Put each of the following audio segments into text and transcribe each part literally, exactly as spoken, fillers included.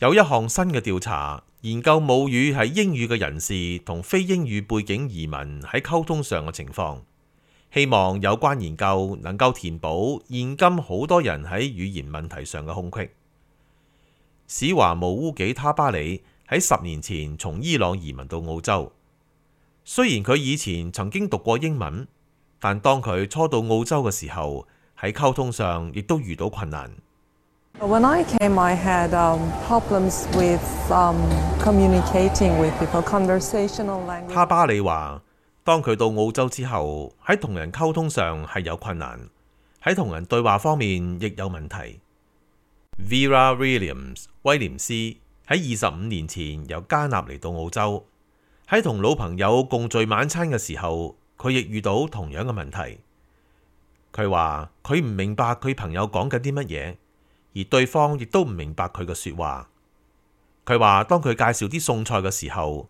有一項新嘅調查，研究母語係英語嘅人士同非英語背景移民喺溝通上嘅情況，希望有關研究能夠填補現今好多人喺語言問題上嘅空隙。史華姆烏紀他巴里喺十年前從伊朗移民到澳洲，雖然佢以前曾經讀過英文，但當佢初到澳洲嘅時候，喺溝通上亦都遇到困難。When I came, I had um, problems with um, communicating with people, conversational language. 他巴里話，當佢到澳洲之後，喺同人溝通上係有困難，喺同人對話方面亦有問題。Vera Williams 威廉斯喺二十五年前由加納嚟到澳洲，喺同老朋友共聚晚餐嘅時候，佢亦遇到同樣嘅問題。佢話佢唔明白佢朋友講緊啲乜嘢，而對方亦都唔明白佢嘅說話。佢話當佢介紹啲餸菜嘅時候，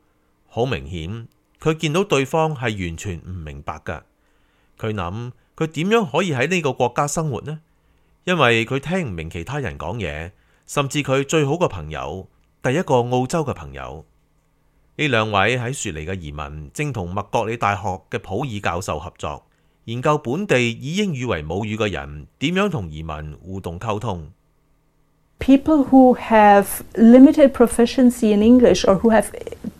好明顯佢見到對方係完全唔明白㗎。佢諗佢點樣可以喺呢個國家生活呢？因為佢聽唔明其他人講嘢，甚至佢最好嘅朋友，第一個澳洲嘅朋友。呢兩位喺雪梨嘅移民正同麥國理大學嘅普爾教授合作，研究本地以英語為母語嘅人點樣同移民互動溝通。People who have limited proficiency in English or who have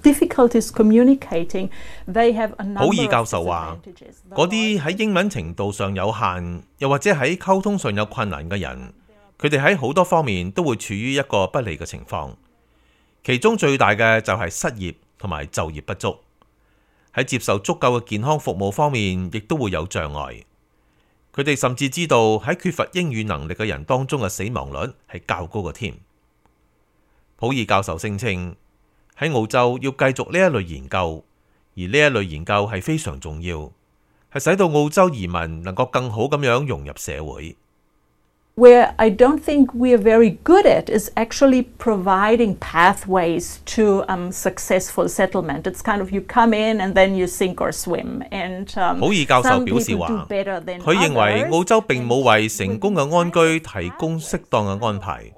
difficulties communicating, they have a number of disadvantages. 普爾教授話，嗰啲喺英文程度上有限，又或者喺溝通上有困難嘅人，佢哋喺好多方面都會處於一個不利嘅情況。其中最大嘅就係失業同埋就業不足，喺接受足夠嘅健康服務方面，亦都會有障礙。佢哋甚至知道喺缺乏英語能力嘅人當中嘅死亡率係較高嘅添。普爾教授聲稱喺澳洲要繼續呢一類研究，而呢一類研究係非常重要，係使到澳洲移民能夠更好咁樣融入社會。Where I don't think we are very good at is actually providing pathways to um, successful settlement. It's kind of you come in and then you sink or swim. And um, 普爾教授表示話，佢認為澳洲並冇為成功嘅安居提供適當嘅安排，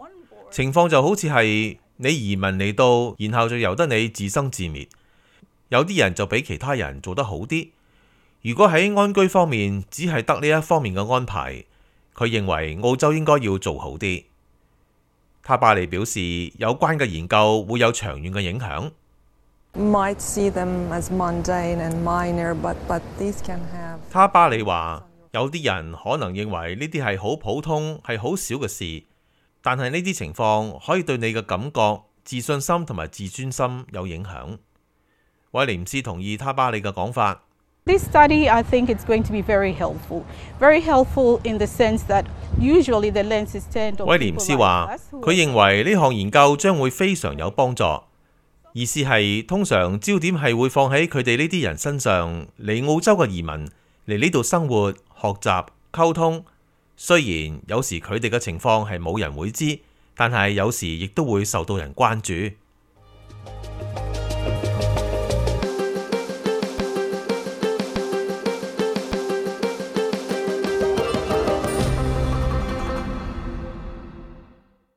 情況就好似係你移民嚟到，然後就由得你自生自滅。有啲人就比其他人做得好啲。如果喺安居方面只係得呢一方面嘅安排，佢認為澳洲應該要做好啲。他巴里表示，有關嘅研究會有長遠嘅影響。Might see them as mundane and minor, but but these can have. 他巴里話，有啲人可能認為呢啲係好普通、係好少嘅事，但係呢啲情況可以對你嘅感覺、自信心同埋自尊心有影響。威廉斯同意他巴里嘅講法。This study, I think it's going to be very helpful. Very helpful in the sense that usually the lens is turned on. 威廉斯話，佢認為呢項研究將會非常有幫助。意思係通常焦點係會放喺佢哋呢啲人身上，嚟澳洲嘅移民嚟呢度生活、學習、溝通。雖然有時佢哋嘅情況係冇人會知，但係有時亦都會受到人關注。